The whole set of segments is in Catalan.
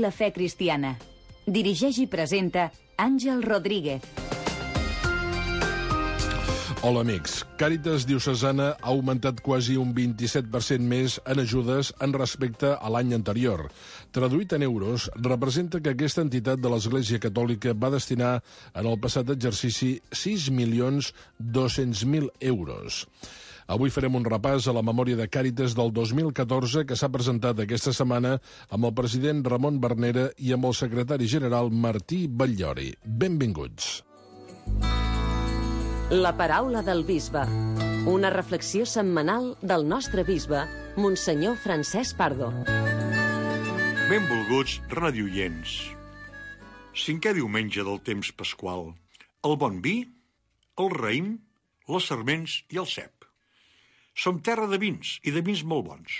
la fe cristiana. Dirigeix i presenta Àngel Rodríguez. Hola, amics. Càritas Diocesana ha augmentat quasi un 27% més en ajudes en respecte a l'any anterior. Traduït en euros, representa que aquesta entitat de l'Església Catòlica va destinar en el passat exercici 6.200.000 euros. Avui farem un repàs a la memòria de Càritas del 2014 que s'ha presentat aquesta setmana amb el president Ramon Bernera i amb el secretari general Martí Batllori. Benvinguts. La paraula del bisbe. Una reflexió setmanal del nostre bisbe, Monsenyor Francesc Pardo. Benvolguts radioients. 5è diumenge del temps pasqual. El bon vi, el raïm, les sarments i el cep. Som terra de vins, i de vins molt bons.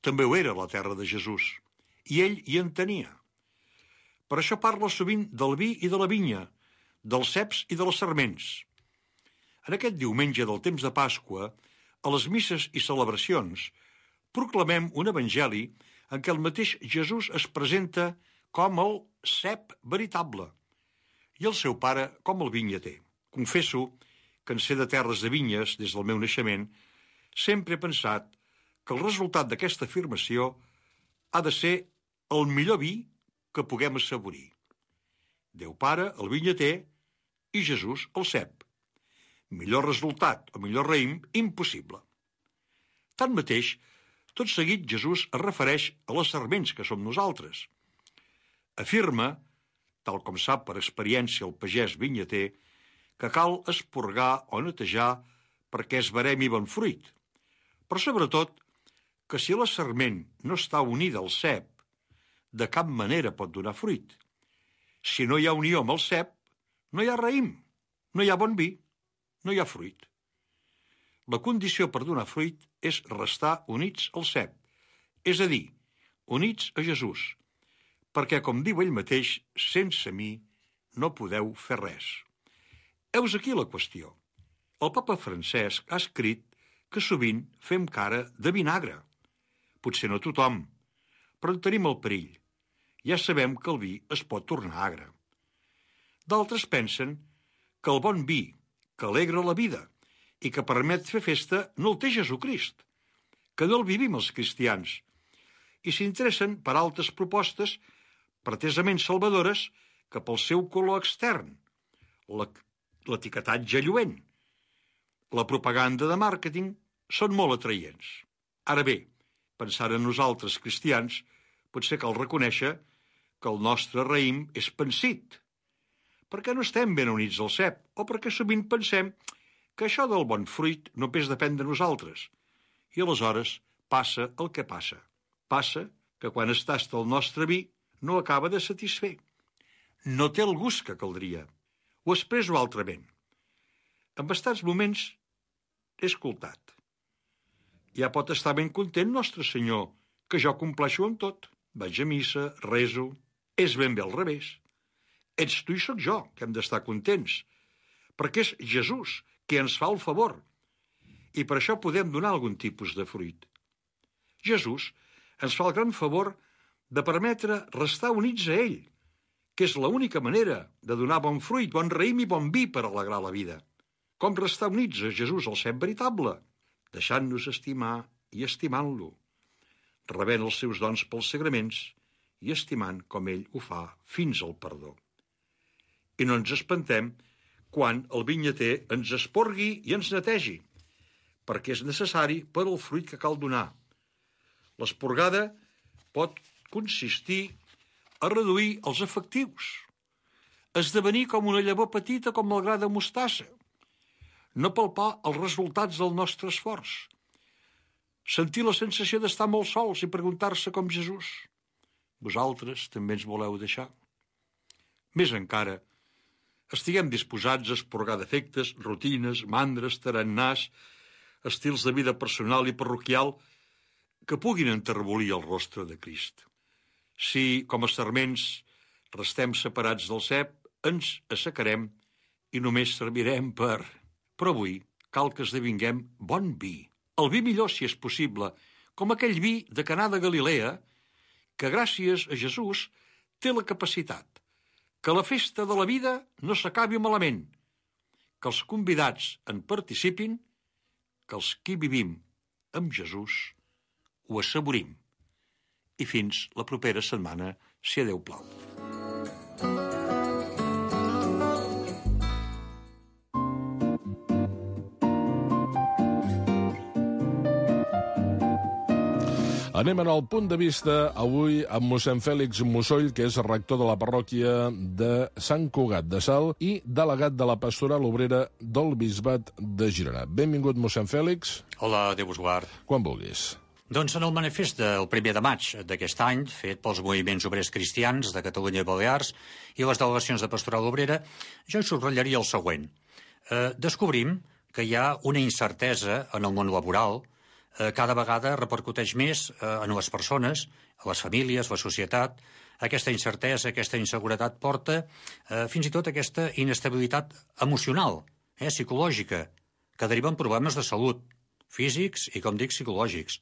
També ho era la terra de Jesús, i ell hi en tenia. Per això parla sovint del vi i de la vinya, dels ceps i de les sarments. En aquest diumenge del temps de Pasqua, a les misses i celebracions, proclamem un evangeli en què el mateix Jesús es presenta com el cep veritable i el seu pare com el vinyater. Confesso que en ser de terres de vinyes des del meu naixement, sempre he pensat que el resultat d'aquesta afirmació ha de ser el millor vi que puguem assaborir. Déu Pare, el vinyater, i Jesús, el cep. Millor resultat o millor raïm, impossible. Tanmateix, tot seguit Jesús es refereix a les sarments que som nosaltres. Afirma, tal com sap per experiència el pagès vinyater, que cal esporgar o netejar perquè es veremi bon fruit. Però sobretot, que si la sarment no està unida al cep, de cap manera pot donar fruit. Si no hi ha unió amb el cep, no hi ha raïm, no hi ha bon vi, no hi ha fruit. La condició per donar fruit és restar units al cep, és a dir, units a Jesús, perquè, com diu ell mateix, sense mi no podeu fer res. Heus aquí la qüestió. El papa Francesc ha escrit que sovint fem cara de vinagre. Potser no tothom, però en tenim el perill. Ja sabem que el vi es pot tornar agre. D'altres pensen que el bon vi, que alegra la vida i que permet fer festa, no el té Jesucrist, que no el vivim els cristians, i s'interessen per altres propostes pretesament salvadores que pel seu color extern, l'etiquetatge lluent, la propaganda de màrqueting, són molt atraients. Ara bé, pensant en nosaltres cristians, potser cal reconèixer que el nostre raïm és pansit, perquè no estem ben units al cep, o perquè sovint pensem que això del bon fruit només depèn de nosaltres. I aleshores passa el que passa. Passa que quan es tasta el nostre vi no acaba de satisfer. No té el gust que caldria. Ho expresso altrament. En bastants moments he escoltat. Ja pot estar ben content, Nostre Senyor, que jo compleixo amb tot. Vaig a missa, rezo. És ben bé al revés. Ets tu i sóc jo, que hem d'estar contents, perquè és Jesús qui ens fa el favor, i per això podem donar algun tipus de fruit. Jesús ens fa el gran favor de permetre restar units a ell, que és l'única manera de donar bon fruit, bon raïm i bon vi per alegrar la vida. Com restar units a Jesús, el cep veritable? Deixant-nos estimar i estimant-lo, rebent els seus dons pels sagraments i estimant com ell ho fa fins al perdó. I no ens espantem quan el vinyater ens esporgui i ens netegi, perquè és necessari per al fruit que cal donar. L'esporgada pot consistir a reduir els efectius, esdevenir com una llavor petita com el gra de mostassa, no palpar els resultats del nostre esforç, sentir la sensació d'estar molt sols i preguntar-se com Jesús, vosaltres també ens voleu deixar? Més encara, estiguem disposats a esporgar defectes, rutines, mandres, tarannàs, estils de vida personal i parroquial que puguin enterbolir el rostre de Crist. Si, com a sarments, restem separats del cep, ens assecarem i només servirem per... Però avui cal que esdevinguem bon vi. El vi millor, si és possible, com aquell vi de Canà de Galilea, que gràcies a Jesús té la capacitat que la festa de la vida no s'acabi malament, que els convidats en participin, que els qui vivim amb Jesús ho assaborim. I fins la propera setmana, si Déu plau. Anem al punt de vista avui amb mossèn Fèlix Mussoll, que és rector de la parròquia de Sant Cugat de Salt i delegat de la Pastoral Obrera del Bisbat de Girona. Benvingut, mossèn Fèlix. Hola, Déu vos guard. Quan vulguis. Doncs en el manifest del 1 de maig d'aquest any, fet pels moviments obrers cristians de Catalunya i Balears i les delegacions de Pastoral Obrera, jo hi subratllaria el següent. Descobrim que hi ha una incertesa en el món laboral, cada vegada repercuteix més en les persones, a les famílies, la societat. Aquesta incertesa, aquesta inseguretat porta fins i tot aquesta inestabilitat emocional, psicològica, que deriva en problemes de salut, físics i, com dic, psicològics.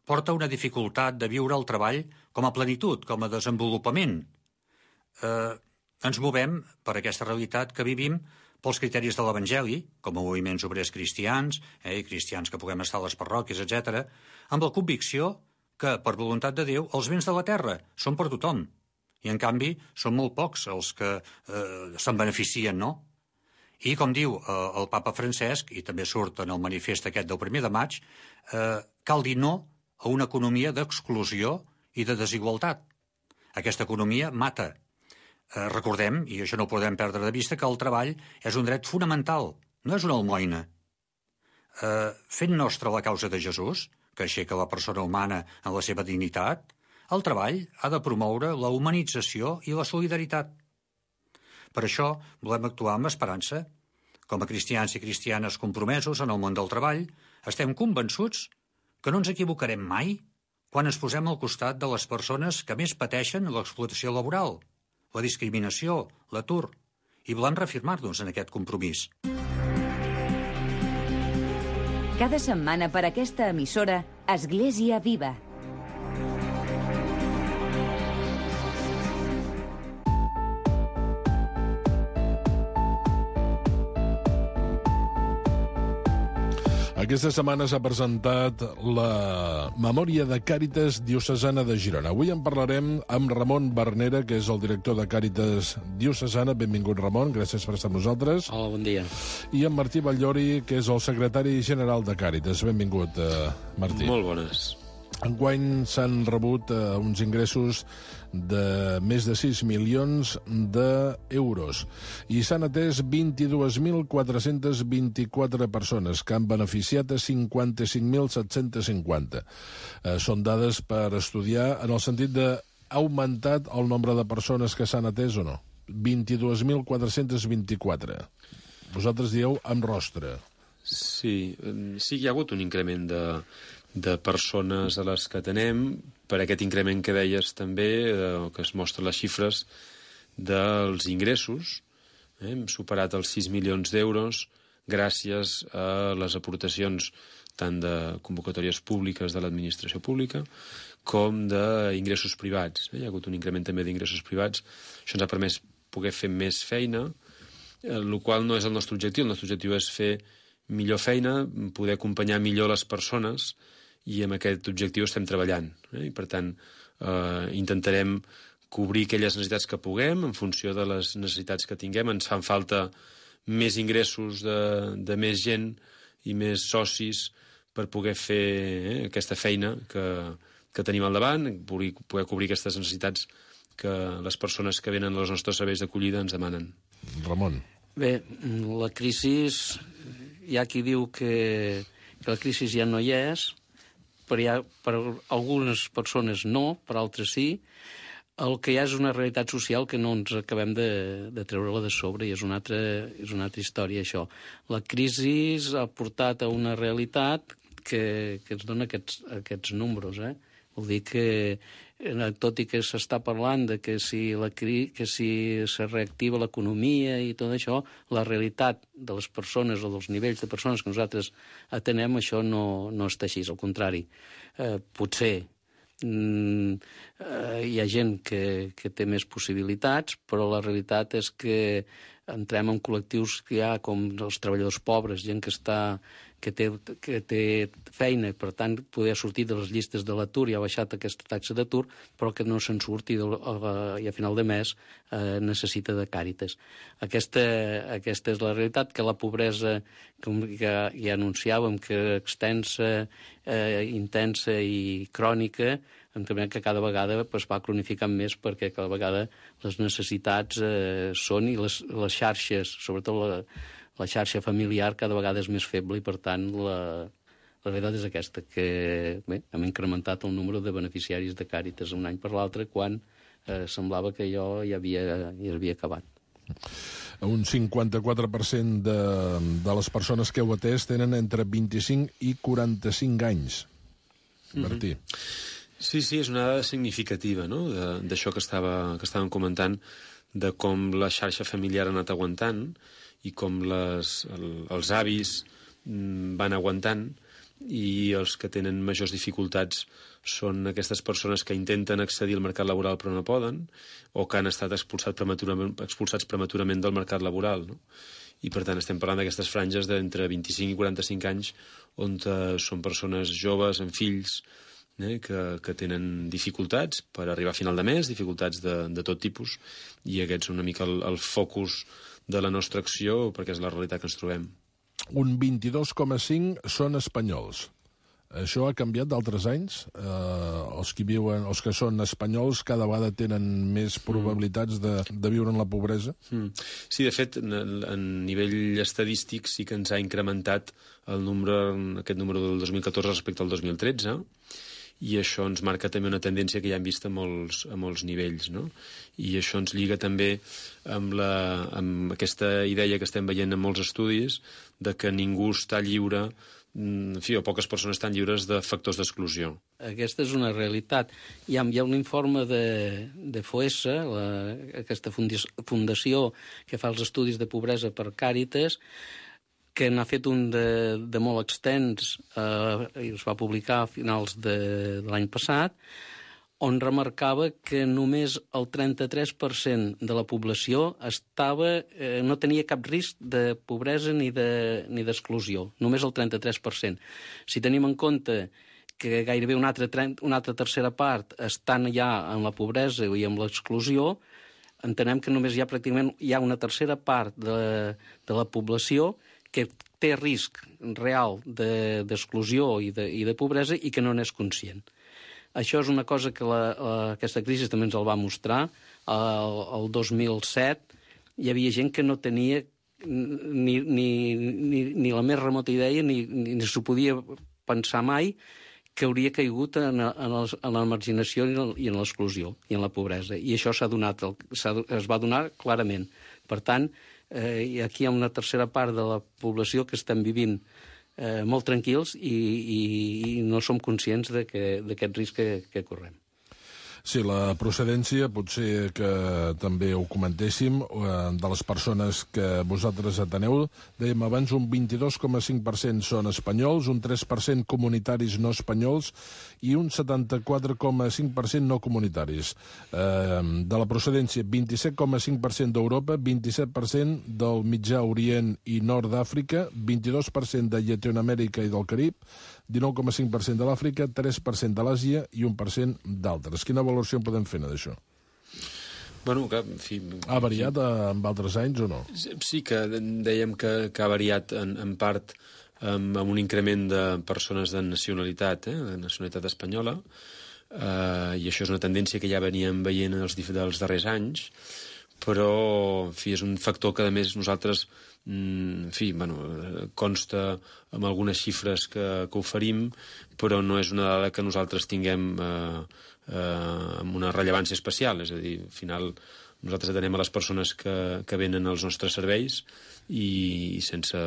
Porta una dificultat de viure el treball com a plenitud, com a desenvolupament. Ens movem per aquesta realitat que vivim pels criteris de l'Evangeli, com a moviments obrers cristians, i cristians que puguem estar a les parròquies, etc., amb la convicció que, per voluntat de Déu, els béns de la terra són per tothom. I, en canvi, són molt pocs els que se'n beneficien, no? I, com diu el papa Francesc, i també surt en el manifest aquest del 1 de maig, cal dir no a una economia d'exclusió i de desigualtat. Aquesta economia mata. Recordem, i això no ho podem perdre de vista, que el treball és un dret fonamental, no és una almoina. Fent nostra la causa de Jesús, que aixeca la persona humana en la seva dignitat, el treball ha de promoure la humanització i la solidaritat. Per això volem actuar amb esperança. Com a cristians i cristianes compromesos en el món del treball, estem convençuts que no ens equivocarem mai quan ens posem al costat de les persones que més pateixen l'explotació laboral, la discriminació, l'atur, i volem reafirmar-nos en aquest compromís. Cada setmana per aquesta emissora, Església Viva. Aquesta setmana s'ha presentat la memòria de Càritas Diocesana de Girona. Avui en parlarem amb Ramon Bernera, que és el director de Càritas Diocesana. Benvingut, Ramon, gràcies per estar amb nosaltres. Hola, bon dia. I en Martí Batllori, que és el secretari general de Càritas. Benvingut, Martí. Molt bones. Enguany s'han rebut uns ingressos de més de 6 milions d'euros i s'han atès 22.424 persones que han beneficiat a 55.750. Són dades per estudiar en el sentit d'ha augmentat el nombre de persones que s'han atès o no. 22.424. Vosaltres dieu amb rostre. Sí, hi ha hagut un increment de persones a les que atenem, per aquest increment que deies també, que es mostren les xifres dels ingressos. Hem superat els 6 milions d'euros gràcies a les aportacions tant de convocatòries públiques de l'administració pública com d'ingressos privats. Hi ha hagut un increment també d'ingressos privats. Això ens ha permès poder fer més feina, el qual no és el nostre objectiu. El nostre objectiu és fer millor feina, poder acompanyar millor les persones, i amb aquest objectiu estem treballant. I, per tant, intentarem cobrir aquelles necessitats que puguem en funció de les necessitats que tinguem. Ens fan falta més ingressos de més gent i més socis per poder fer aquesta feina que tenim al davant, poder cobrir aquestes necessitats que les persones que venen als nostres serveis d'acollida ens demanen. Ramon. Bé, la crisi, hi ha qui diu que la crisi ja no hi és, per algunes persones no, per altres sí. El que hi ha és una realitat social que no ens acabem de treure-la de sobre, i és una altra història, això. La crisi ha portat a una realitat que ens dona aquests números. Vol dir que, tot i que s'està parlant de que si se reactiva l'economia i tot això, la realitat de les persones o dels nivells de persones que nosaltres atenem, això no està així, al contrari. Potser Hi ha gent que té més possibilitats, però la realitat és que entrem en col·lectius que hi ha com els treballadors pobres, gent que té feina, per tant, poder sortir de les llistes de l'atur i ha baixat aquesta taxa d'atur, però que no se'n surti i a final de mes necessita de Càritas. Aquesta és la realitat, que la pobresa, com ja anunciàvem, que extensa, intensa i crònica, entenem que cada vegada va cronificant més, perquè cada vegada les necessitats són, i les xarxes, sobretot la xarxa familiar, cada vegada és més feble, i per tant la realitat és aquesta, que hem incrementat el número de beneficiaris de Càritas un any per l'altre, quan semblava que allò ja havia acabat. Un 54% de les persones que heu atès tenen entre 25 i 45 anys. Martí. Sí, és una dada significativa, no?, d'això que estàvem comentant, de com la xarxa familiar ha anat aguantant i com els avis van aguantant, i els que tenen majors dificultats són aquestes persones que intenten accedir al mercat laboral però no poden, o que han estat expulsats prematurament del mercat laboral, no? I per tant estem parlant d'aquestes franges d'entre 25 i 45 anys, on són persones joves amb fills, que tenen dificultats per arribar a final de mes, dificultats de tot tipus, i aquests són una mica el focus de la nostra acció, perquè és la realitat que ens trobem. Un 22,5 són espanyols. Això ha canviat d'altres anys? Els que són espanyols cada vegada tenen més probabilitats de viure en la pobresa? Sí, de fet, a nivell estadístic sí que ens ha incrementat aquest número del 2014 respecte al 2013, i això ens marca també una tendència que ja hem vist a molts nivells, no? I això ens lliga també amb aquesta idea que estem veient en molts estudis de que ningú està lliure, o poques persones estan lliures de factors d'exclusió. Aquesta és una realitat. Hi ha un informe de FOESA, aquesta fundació que fa els estudis de pobresa per Càritas, que n'ha fet un de molt extens, i es va publicar a finals de l'any passat, on remarcava que només el 33% de la població no tenia cap risc de pobresa ni d'exclusió. Només el 33%. Si tenim en compte que gairebé una altra tercera part estan ja en la pobresa i en l'exclusió, entenem que només pràcticament hi ha una tercera part de la població que té risc real d'exclusió i de pobresa i que no n'és conscient. Això és una cosa que aquesta crisi també ens el va mostrar. El 2007 hi havia gent que no tenia ni la més remota idea ni s'ho podia pensar mai que hauria caigut en la marginació i en l'exclusió i en la pobresa. I això es va donar clarament. Per tant, aquí hi ha una tercera part de la població que estem vivint molt tranquils i no som conscients d'aquest risc que correm. Sí, la procedència, potser que també ho comentéssim, de les persones que vosaltres ateneu, dèiem abans, un 22,5% són espanyols, un 3% comunitaris no espanyols i un 74,5% no comunitaris. De la procedència, 27,5% d'Europa, 27% del Mitjà Orient i Nord d'Àfrica, 22% de Llatinoamèrica i del Carib, 19,5% de l'Àfrica, 3% de l'Àsia i 1% d'altres. Quina valoració en podem fer d'això? Bueno, que, en fi... Ha variat amb altres anys o no? Sí que dèiem que ha variat en part amb un increment de persones de nacionalitat, de nacionalitat espanyola, i això és una tendència que ja veníem veient dels darrers anys, però en fi, és un factor que a més nosaltres consta amb algunes xifres que oferim, però no és una dada que nosaltres tinguem amb una rellevància especial. És a dir, al final nosaltres atenem a les persones que venen als nostres serveis i sense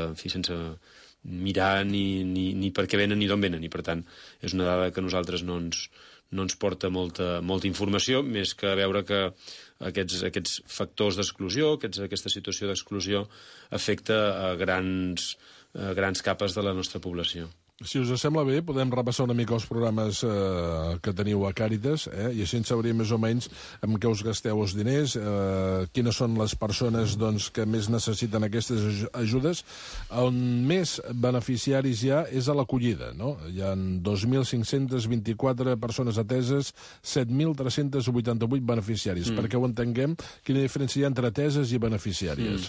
mirar ni per què venen ni d'on venen, i per tant és una dada que nosaltres no ens porta molta informació, més que veure que aquests factors d'exclusió, aquesta situació d'exclusió afecta a grans capes de la nostra població. Si us sembla bé, podem repassar una mica els programes que teniu a Càritas, i així en sabríem més o menys amb què us gasteu els diners, quines són les persones que més necessiten aquestes ajudes. On més beneficiaris hi ha és a l'acollida, no? Hi ha 2.524 persones ateses, 7.388 beneficiaris. Perquè ho entenguem, quina diferència hi ha entre ateses i beneficiàries?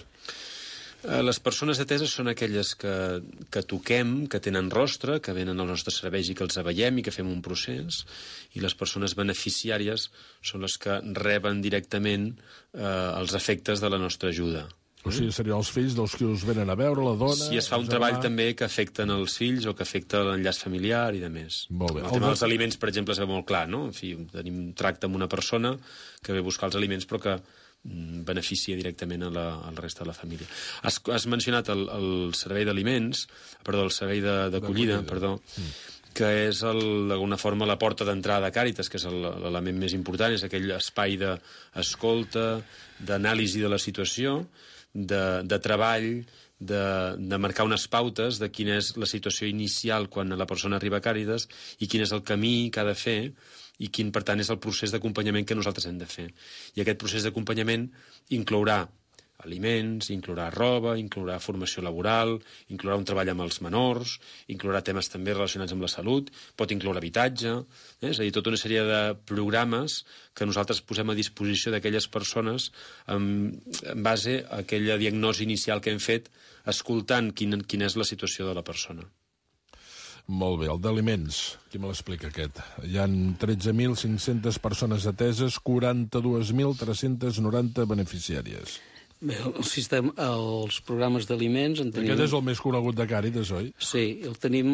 Les persones ateses són aquelles que toquem, que tenen rostre, que venen als nostres serveis i que els veiem i que fem un procés, i les persones beneficiàries són les que reben directament els efectes de la nostra ajuda. O sigui, serien els fills dels que us venen a veure, la dona... Si es fa un treball també que afecten els fills o que afecta l'enllaç familiar i de més. Molt bé. El tema dels aliments, per exemple, es veu molt clar, no? En fi, tenim tracte amb una persona que ve a buscar els aliments però que beneficia directament a la resta de la família. Has mencionat el servei d'aliments, el servei d'acollida, que és d'alguna forma la porta d'entrada a Càritas, que és l'element més important, és aquell espai d'escolta, d'anàlisi de la situació, de treball, de marcar unes pautes de quina és la situació inicial quan la persona arriba a Càritas i quin és el camí que ha de fer i quin, per tant, és el procés d'acompanyament que nosaltres hem de fer. I aquest procés d'acompanyament inclourà aliments, inclourà roba, inclourà formació laboral, inclourà un treball amb els menors, inclourà temes també relacionats amb la salut, pot incloure habitatge, és a dir, tota una sèrie de programes que nosaltres posem a disposició d'aquelles persones en base a aquella diagnosi inicial que hem fet escoltant quina és la situació de la persona. Molt bé, el d'aliments, qui me l'explica aquest? Hi ha 13.500 persones ateses, 42.390 beneficiàries. Bé, els programes d'aliments... Aquest és el més conegut de Càritas, oi? Sí, el tenim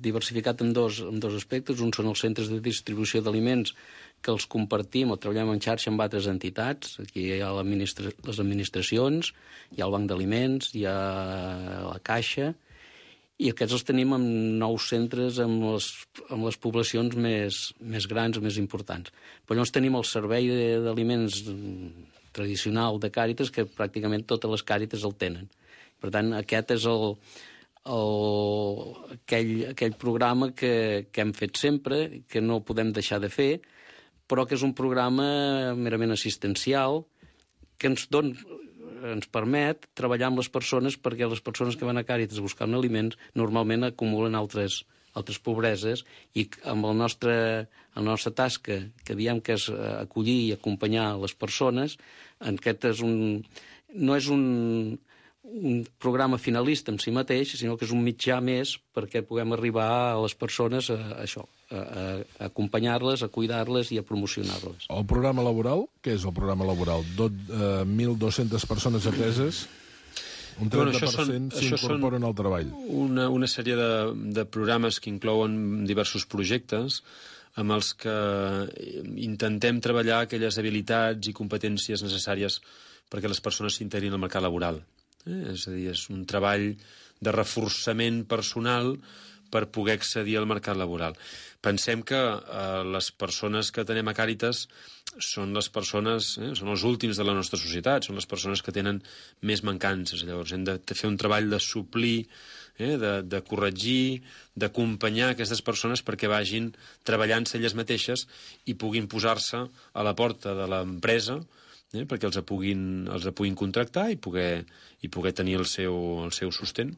diversificat en dos aspectes. Un són els centres de distribució d'aliments, que els compartim o treballem en xarxa amb altres entitats. Aquí hi ha les administracions, hi ha el Banc d'Aliments, hi ha la Caixa, i aquests els tenim en 9 centres amb les poblacions més grans, més importants. Però llavors tenim el servei d'aliments tradicional de Càritas, que pràcticament totes les Càritas el tenen. Per tant, aquest és aquell programa que hem fet sempre, que no podem deixar de fer, però que és un programa merament assistencial que ens permet treballar amb les persones, perquè les persones que van a Càritas buscant aliments normalment acumulen altres pobreses, i amb la nostra tasca, que diem que és acollir i acompanyar les persones, aquest no és un programa finalista en si mateix, sinó que és un mitjà més perquè puguem arribar a les persones a acompanyar-les, a cuidar-les i a promocionar-les. El programa laboral, què és el programa laboral? 1.200 persones ateses, un 30% s'incorporen al treball. Una sèrie de programes que inclouen diversos projectes amb els que intentem treballar aquelles habilitats i competències necessàries perquè les persones s'integrin al mercat laboral. És a dir, és un treball de reforçament personal per poder accedir al mercat laboral. Pensem que les persones que tenem a Càritas són les persones, són els últims de la nostra societat, són les persones que tenen més mancances. Llavors hem de fer un treball de suplir, de corregir, d'acompanyar aquestes persones perquè vagin treballant-se elles mateixes i puguin posar-se a la porta de l'empresa perquè els puguin contractar i poder tenir el seu sostén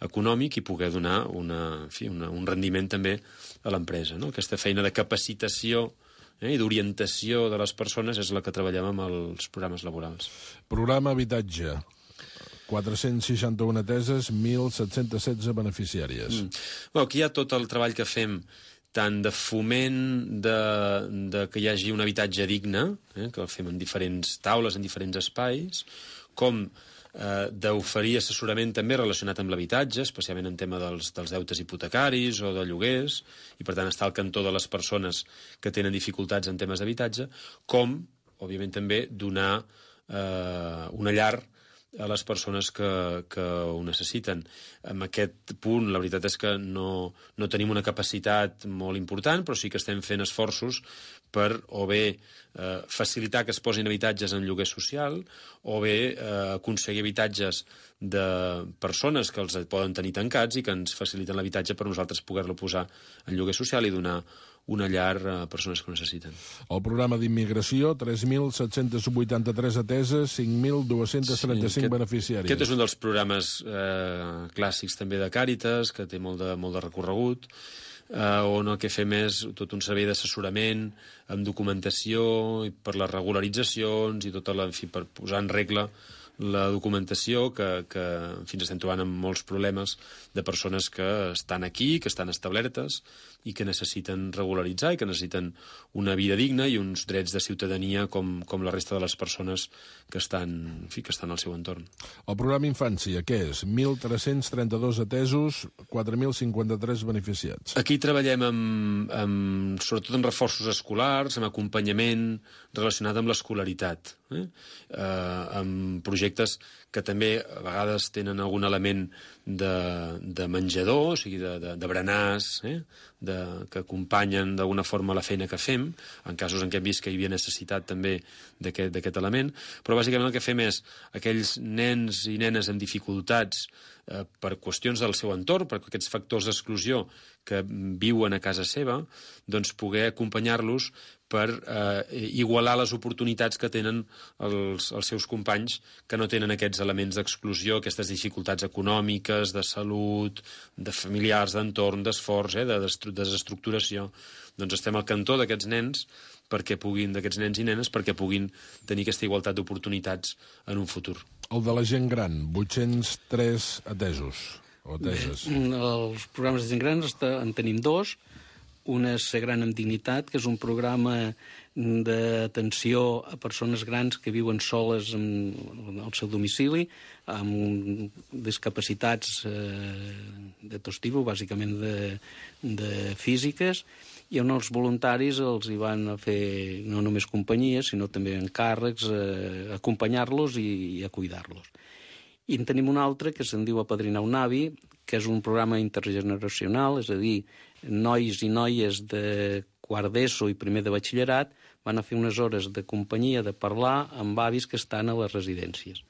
econòmic i poder donar un rendiment també a l'empresa. Aquesta feina de capacitació i d'orientació de les persones és la que treballem amb els programes laborals. Programa habitatge. 461 ateses, 1.716 beneficiàries. Aquí hi ha tot el treball que fem, tant de foment de que hi hagi un habitatge digne, que el fem en diferents taules, en diferents espais, com d'oferir assessorament també relacionat amb l'habitatge, especialment en tema dels deutes hipotecaris o de lloguers, i per tant estar al cantó de les persones que tenen dificultats en temes d'habitatge, com, òbviament també, donar una llar a les persones que ho necessiten. En aquest punt, la veritat és que no tenim una capacitat molt important, però sí que estem fent esforços per o bé facilitar que es posin habitatges en lloguer social o bé aconseguir habitatges de persones que els poden tenir tancats i que ens faciliten l'habitatge per nosaltres poder-lo posar en lloguer social i donar una llar a persones que ho necessiten. El programa d'immigració, 3.783 ateses, 5.235 beneficiaris. Aquest és un dels programes clàssics també de Càritas, que té molt de recorregut, on el que fem és tot un servei d'assessorament amb documentació i per les regularitzacions i per posar en regla la documentació que en fi, ens estem trobant amb molts problemes de persones que estan aquí, que estan establertes i que necessiten regularitzar i que necessiten una vida digna i uns drets de ciutadania com la resta de les persones que estan al seu entorn. El programa Infància, què és? 1.332 atesos, 4.053 beneficiats. Aquí treballem sobretot en reforços escolars, amb acompanyament relacionat amb l'escolaritat, amb projectes que també a vegades tenen algun element de menjador, o sigui, de berenars, que acompanyen d'alguna forma la feina que fem, en casos en què hem vist que hi havia necessitat també d'aquest element, però bàsicament el que fem és aquells nens i nenes amb dificultats per qüestions del seu entorn, per aquests factors d'exclusió que viuen a casa seva, doncs poder acompanyar-los per igualar les oportunitats que tenen els seus companys que no tenen aquests elements d'exclusió, aquestes dificultats econòmiques, de salut, de familiars, d'entorn, d'esforç, de desestructuració. Doncs estem al cantó d'aquests nens d'aquests nens i nenes perquè puguin tenir aquesta igualtat d'oportunitats en un futur. El de la gent gran, 803 atesos o ateses. Els programes de gent gran en tenim dos. Un és Ser Gran amb Dignitat, que és un programa d'atenció a persones grans que viuen soles al seu domicili, amb discapacitats de tot tipus, bàsicament de físiques, i on els voluntaris els hi van a fer no només companyia, sinó també encàrrecs, acompanyar-los i a cuidar-los. I en tenim un altre que se'n diu Apadrinar un avi, que és un programa intergeneracional, és a dir, nois i noies de quart d'ESO i primer de batxillerat van a fer unes hores de companyia, de parlar amb avis que estan a les residències.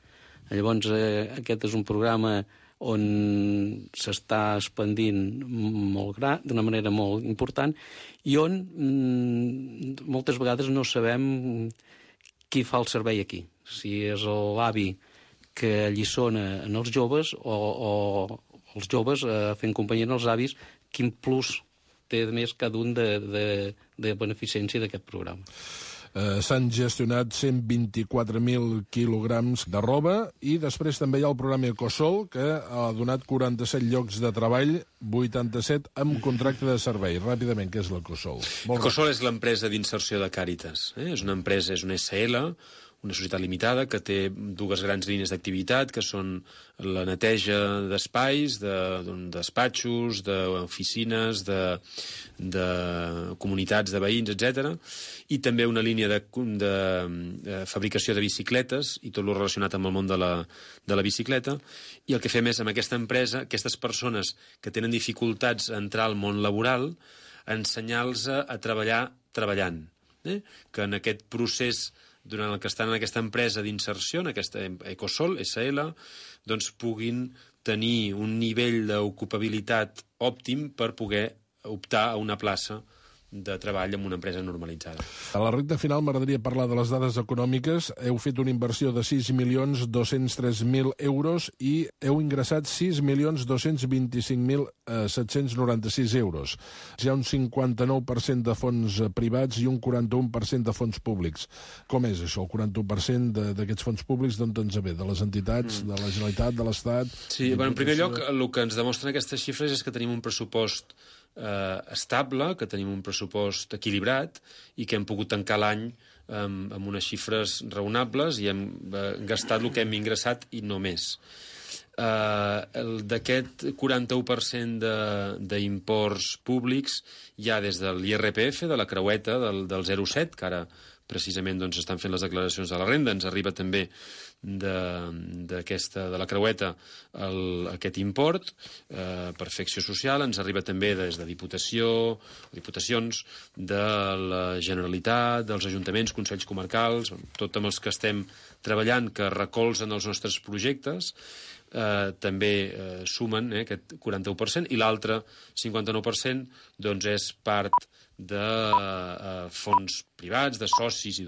Llavors, aquest és un programa on s'està expandint d'una manera molt important i on moltes vegades no sabem qui fa el servei aquí. Si és l'avi que alliçona en els joves o els joves fent companyia als avis, quin plus té més cada un de beneficència d'aquest programa. S'han gestionat 124.000 quilograms de roba i després també hi ha el programa Ecosol, que ha donat 47 llocs de treball, 87 amb contracte de servei. Ràpidament, què és l'Ecosol? Ecosol és l'empresa d'inserció de Càritas. És una empresa, és una SL, una societat limitada que té dues grans línies d'activitat, que són la neteja d'espais, de despatxos, d'oficines, de comunitats de veïns, etc. I també una línia de fabricació de bicicletes i tot el relacionat amb el món de la bicicleta. I el que fem és, amb aquesta empresa, aquestes persones que tenen dificultats a entrar al món laboral, ensenyar-los a treballar treballant. Que en aquest procés durant el que estan en aquesta empresa d'inserció, en aquesta Ecosol, SL, doncs puguin tenir un nivell d'ocupabilitat òptim per poder optar a una plaça de treball en una empresa normalitzada. A la recta final m'agradaria parlar de les dades econòmiques. Heu fet una inversió de 6.203.000 euros i heu ingressat 6.225.796 euros. Hi ha un 59% de fons privats i un 41% de fons públics. Com és això, el 41% d'aquests fons públics d'on ens ve? De les entitats, de la Generalitat, de l'Estat? Sí, en primer lloc, el que ens demostren aquestes xifres és que tenim un pressupost estable, que tenim un pressupost equilibrat i que hem pogut tancar l'any amb unes xifres raonables i hem gastat el que hem ingressat i no més. D'aquest 41% d'imports públics hi ha des de l'IRPF, de la creueta, del 0,7, que ara precisament doncs, estan fent les declaracions de la renda. Ens arriba també de la creueta aquest import per fer acció social. Ens arriba també des de diputacions, de la Generalitat, dels ajuntaments, consells comarcals, tot amb els que estem treballant, que recolzen els nostres projectes, també sumen aquest 41%, i l'altre 59% doncs és part de fons privats, de socis i